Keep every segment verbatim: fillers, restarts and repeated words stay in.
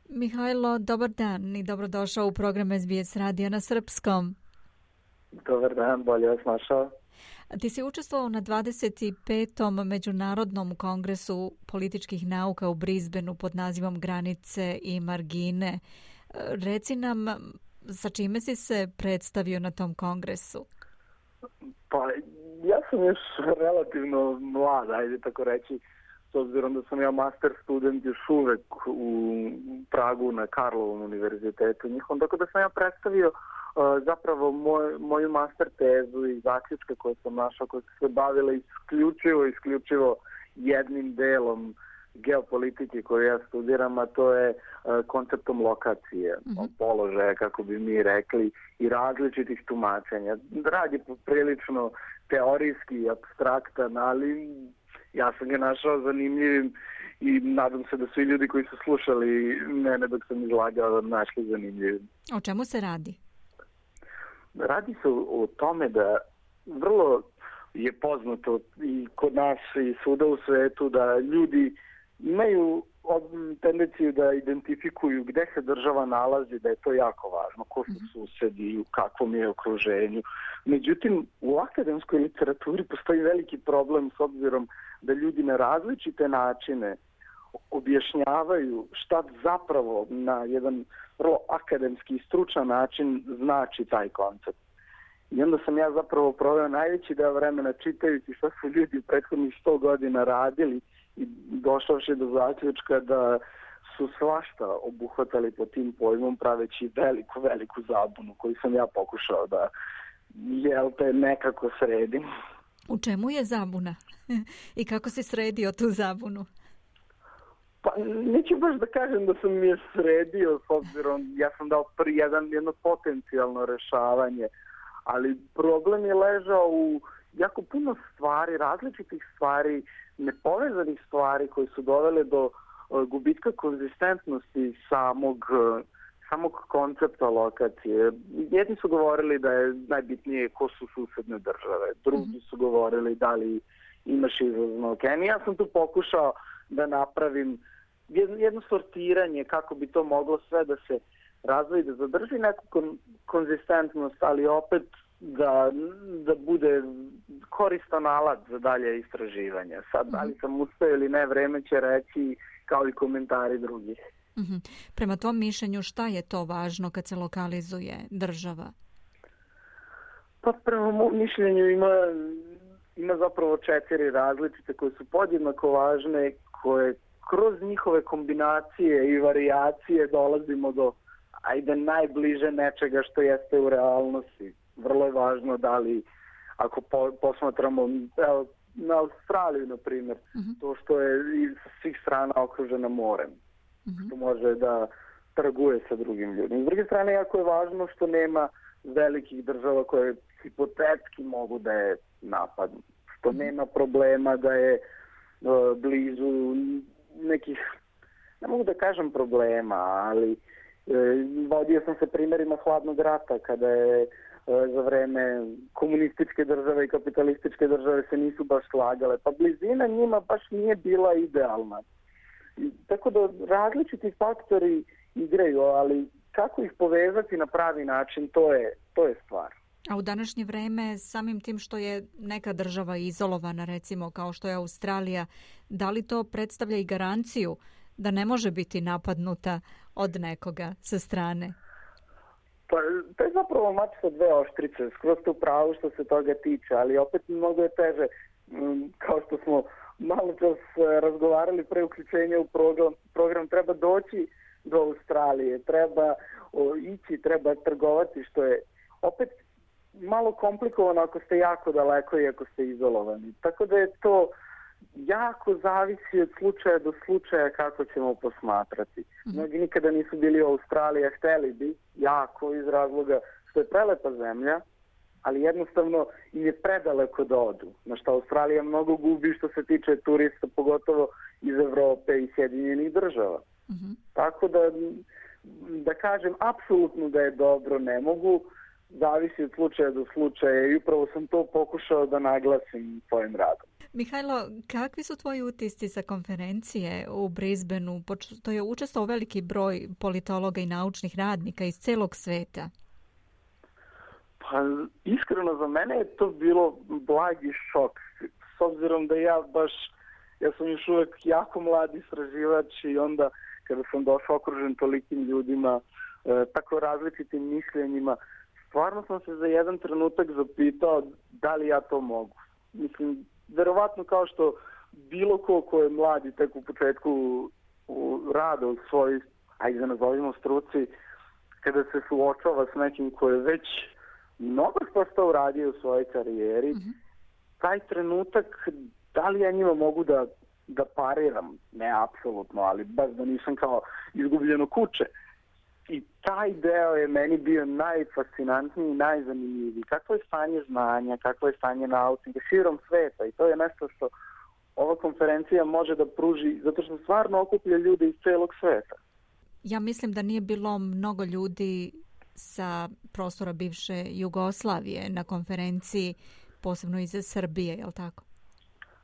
Mihajlo, dobar dan i dobrodošao u program S B S radija na srpskom. Dobar dan, bolje vas našao. Ti si učestvovao na dvadeset petom Međunarodnom kongresu političkih nauka u Brisbaneu pod nazivom Granice i margine. Reci nam, sa čime si se predstavio na tom kongresu? Pa, ja sam još relativno mlad, ajde tako reći, s obzirom da sam ja master student još uvek u Pragu na Karlovom univerzitetu njihom, tako da sam ja predstavio uh, zapravo moj, moju master tezu i zaključke koje sam našao, koje su se bavile isključivo, isključivo jednim delom geopolitike koju ja studiram, a to je uh, konceptom lokacije, mm-hmm. položaja, kako bi mi rekli, i različitih tumačenja. Rad je prilično teorijski i apstraktan, ali ja sam ga našao zanimljivim i nadam se da svi ljudi koji su slušali mene dok sam izlagao našli zanimljivim. O čemu se radi? Radi se o tome da vrlo je poznato i kod nas i svuda u svetu da ljudi imaju tendenciju da identifikuju gde se država nalazi, da je to jako važno, ko su susedi, u kakvom je okruženju. Međutim, u akademskoj literaturi postoji veliki problem s obzirom da ljudi na različite načine objašnjavaju šta zapravo na jedan vrlo akademski i stručan način znači taj koncept. I onda sam ja zapravo proveo najveći deo vremena čitajući šta su ljudi u prethodnih sto godina radili i došavši do zaključka da su svašta obuhvatali pod tim pojmom praveći veliku, veliku zabunu koju sam ja pokušao da jel te nekako sredim. U čemu je zabuna? I kako si sredio tu zabunu? Pa neću baš da kažem da sam je sredio s obzirom, ja sam dao prvi jedan, jedno potencijalno rešavanje, ali problem je ležao u jako puno stvari, različitih stvari, nepovezanih stvari koje su dovele do uh, gubitka konzistentnosti samog, uh, samog koncepta lokacije. Jedni su govorili da je najbitnije ko su susedne države, drugi su govorili da li imaš izlazno okean. Ja sam tu pokušao da napravim jedno, jedno sortiranje kako bi to moglo sve da se razvoji, da zadrži neku kon, konzistentnost, ali opet da, da bude koristan alat za dalje istraživanja. Sad, da li sam uspeo ili ne, vreme će reći kao i komentari drugih. Mm-hmm. Prema tom mišljenju, šta je to važno kad se lokalizuje država? Pa prema mom mišljenju ima, ima zapravo četiri različite koje su podjednako važne, koje kroz njihove kombinacije i varijacije dolazimo do ajde najbliže nečega što jeste u realnosti. Vrlo je važno da li, ako po, posmatramo evo, na Australiju, na primjer, uh-huh. to što je iz svih strana okružena morem, uh-huh. što može da trguje sa drugim ljudima. S druge strane, jako je važno što nema velikih država koje hipotetski mogu da je napadnu, što uh-huh. nema problema da je uh, blizu nekih, ne mogu da kažem problema, ali uh, vodio sam se primjerima hladnog rata, kada je za vreme komunističke države i kapitalističke države se nisu baš slagale, pa blizina njima baš nije bila idealna. I, tako da različiti faktori igraju, ali kako ih povezati na pravi način, to je, to je stvar. A u današnje vreme, samim tim što je neka država izolovana, recimo kao što je Australija, da li to predstavlja i garanciju da ne može biti napadnuta od nekoga sa strane? Pa, to je zapravo mač sa dve oštrice, skroz to pravo što se toga tiče, ali opet mnogo je teže, kao što smo malo čas razgovarali pre uključenja u program, program treba doći do Australije, treba o, ići, treba trgovati, što je opet malo komplikovano ako ste jako daleko i ako ste izolovani. Tako da je to jako zavisi od slučaja do slučaja kako ćemo posmatrati. Mnogi nikada nisu bili u Australiji, a hteli bi jako iz razloga što je prelepa zemlja, ali jednostavno im je predaleko da odu. Na što Australija mnogo gubi što se tiče turista, pogotovo iz Evrope i Sjedinjenih država. Uh-huh. Tako da, da kažem, apsolutno da je dobro, ne mogu, zavisi od slučaja do slučaja i upravo sam to pokušao da naglasim svojim radom. Mihajlo, kakvi su tvoji utisci sa konferencije u Brisbaneu? To je učestvovao veliki broj politologa i naučnih radnika iz celog sveta. Pa iskreno za mene je to bilo blagi šok. S obzirom da ja baš, ja sam još uvek jako mlad istraživač i onda kada sam došao okružen tolikim ljudima, e, tako različitim mišljenjima, stvarno sam se za jedan trenutak zapitao da li ja to mogu. Mislim, verovatno kao što bilo ko ko je mlad i tek u početku u rada u svojoj, ajde da nazovimo struci, kada se suočava s nekim ko je već mnogo što uradio u svojoj karijeri, mm-hmm. taj trenutak, da li ja njima mogu da, da pariram? Ne, apsolutno, ali baš da nisam kao izgubljeno kuće. I taj deo je meni bio najfascinantniji i najzanimljiviji. Kakvo je stanje znanja, kakvo je stanje naučnika širom sveta, i to je nešto što ova konferencija može da pruži, zato što stvarno okuplja ljude iz celog sveta. Ja mislim da nije bilo mnogo ljudi sa prostora bivše Jugoslavije na konferenciji, posebno iz Srbije, je li tako?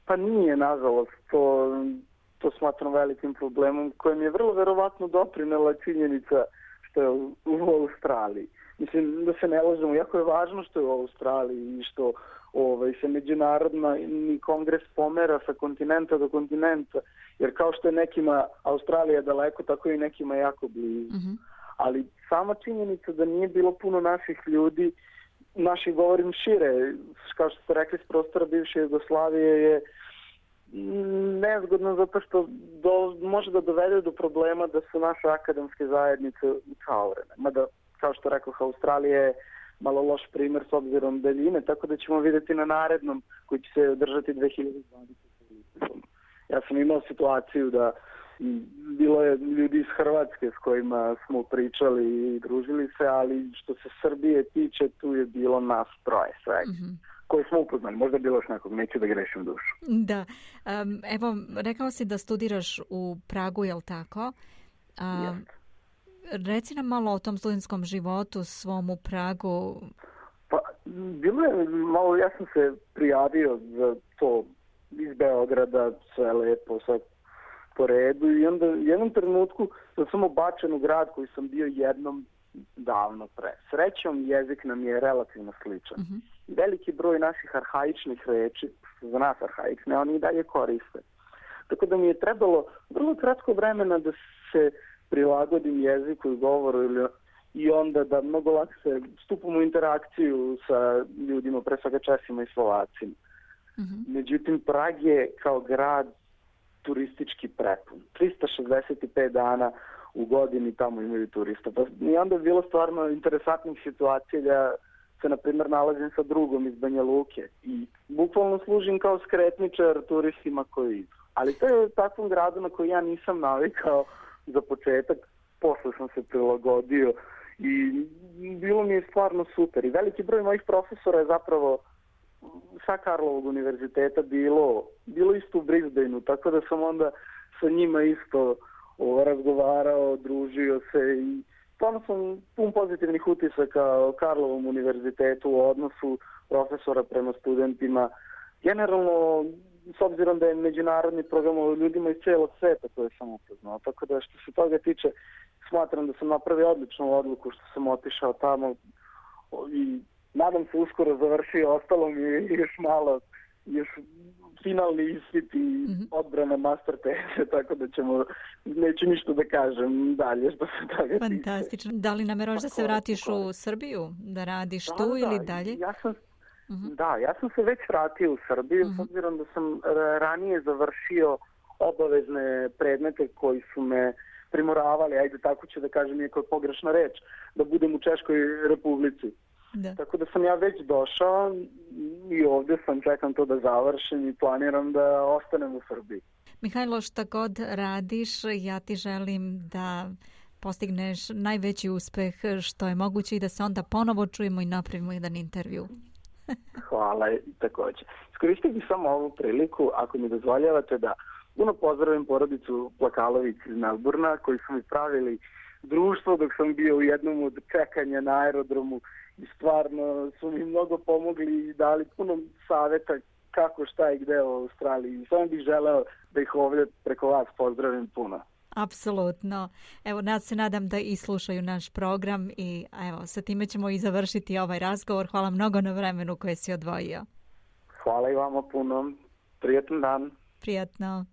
Pa nije, nažalost. To, to smatram velikim problemom kojem je vrlo verovatno doprinela činjenica što je u, u Australiji. Mislim da se ne lažemo, jako je važno što je u Australiji i što ovaj, se međunarodni kongres pomera sa kontinenta do kontinenta, jer kao što je nekima Australija daleko, tako i nekima jako blizu. Mm-hmm. Ali sama činjenica da nije bilo puno naših ljudi, naših govorim šire, kao što ste rekli s prostora bivše Jugoslavije, je nezgodno zato što do, može da dovede do problema da su naše akademske zajednice ucaurene. Mada, kao što rekao, Australija je malo loš primjer s obzirom daljine, tako da ćemo vidjeti na narednom koji će se održati dve hiljade dvadesete. Ja sam imao situaciju da bilo je ljudi iz Hrvatske s kojima smo pričali i družili se, ali što se Srbije tiče, tu je bilo nas troje svega. Mm-hmm. Koji smo upoznali, možda je bilo još nekog, neću da grešim dušu. Da, um, evo, rekao si da studiraš u Pragu, je li tako? Um, yes. Reci nam malo o tom studentskom životu svom u Pragu. Pa, bilo je malo, ja sam se prijavio za to iz Beograda, sve lepo, sve po redu i onda u jednom trenutku sam samo bačen u grad koji sam bio jednom davno pre. Srećom, jezik nam je relativno sličan. Mm-hmm. Veliki broj naših arhaičnih reči, za nas arhaične, oni i dalje koriste. Tako da mi je trebalo vrlo kratko vremena da se prilagodim jeziku i govoru ili, i onda da mnogo lakše stupam u interakciju sa ljudima, pre svega Česima i Slovacima. Mm-hmm. Međutim, Prag je kao grad turistički prepun. trista šezdeset pet dana u godini tamo imaju turista. Pa i onda je bilo stvarno interesantnih situacija da se, na primjer, nalazim sa drugom iz Banja Luke i bukvalno služim kao skretničar turistima koji idu. Ali to je u takvom gradu na koji ja nisam navikao za početak. Posle sam se prilagodio i bilo mi je stvarno super. I veliki broj mojih profesora je zapravo sa Karlovog univerziteta bilo, bilo isto u Brisbaneu, tako da sam onda sa njima isto o, razgovarao, družio se i stvarno sam pun pozitivnih utisaka o Karlovom univerzitetu, u odnosu profesora prema studentima. Generalno, s obzirom da je međunarodni program o ljudima iz cijelog sveta, to je sam upoznao. Tako da što se toga tiče, smatram da sam napravio odličnu odluku što sam otišao tamo i nadam se uskoro završio, ostalo mi je još malo, još finalni ispit i mm-hmm. odbrana master teze, tako da ćemo, neću ništa da kažem dalje što se toga tiče. Fantastično. Da li nameraš da se vratiš u Srbiju, da radiš da, tu da, ili dalje? Ja sam, mm-hmm. Da, ja sam se već vratio u Srbiju, mm-hmm. s obzirom da sam ranije završio obavezne predmete koji su me primoravali, ajde tako ću da kažem, iako je pogrešna reč, da budem u Češkoj Republici. Da. Tako da sam ja već došao i ovdje sam, čekam to da završim i planiram da ostanem u Srbiji. Mihajlo, šta god radiš, ja ti želim da postigneš najveći uspeh što je moguće i da se onda ponovo čujemo i napravimo jedan intervju. Hvala i također. Iskoristio bih samo ovu priliku, ako mi dozvoljavate, da puno pozdravim porodicu Plakalović iz Melburna, koji su mi pravili društvo dok sam bio u jednom od čekanja na aerodromu i stvarno su mi mnogo pomogli i dali puno savjeta kako, šta i gde u Australiji. Samo bih želeo da ih ovdje preko vas pozdravim puno. Apsolutno. Evo, nas se nadam da i slušaju naš program i evo, sa time ćemo i završiti ovaj razgovor. Hvala mnogo na vremenu koje si odvojio. Hvala i vama puno. Prijetan dan. Prijatno.